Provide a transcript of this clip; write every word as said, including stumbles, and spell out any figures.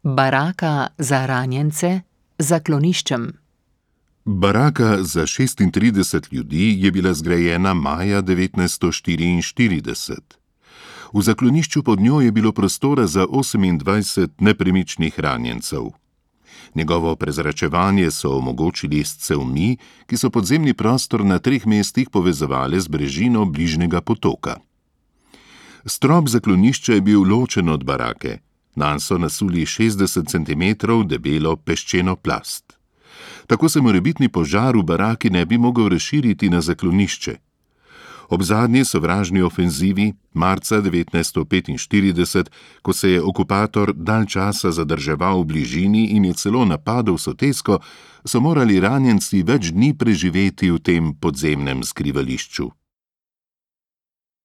Baraka za ranjence z zakloniščem. Baraka za šestintrideset ljudi je bila zgrajena maja devetnajststo štiriinštirideset. V zaklonišču pod njo je bilo prostora za osemindvajset nepremičnih ranjencev. Njegovo prezračevanje so omogočili s cevmi, ki so podzemni prostor na treh mestih povezovale z brežino bližnjega potoka. Strop zaklonišča je bil ločen od barake. Nanj so nasuli šestdeset centimetrov debelo peščeno plast. Tako se morebitni požar v baraki ne bi mogel razširiti na zaklonišče. Ob zadnji sovražni ofenzivi, marca devetnajststo petinštirideset, ko se je okupator dalj časa zadrževal v bližini in je celo napadel Sotesko, so morali ranjenci več dni preživeti v tem podzemnem skrivališču.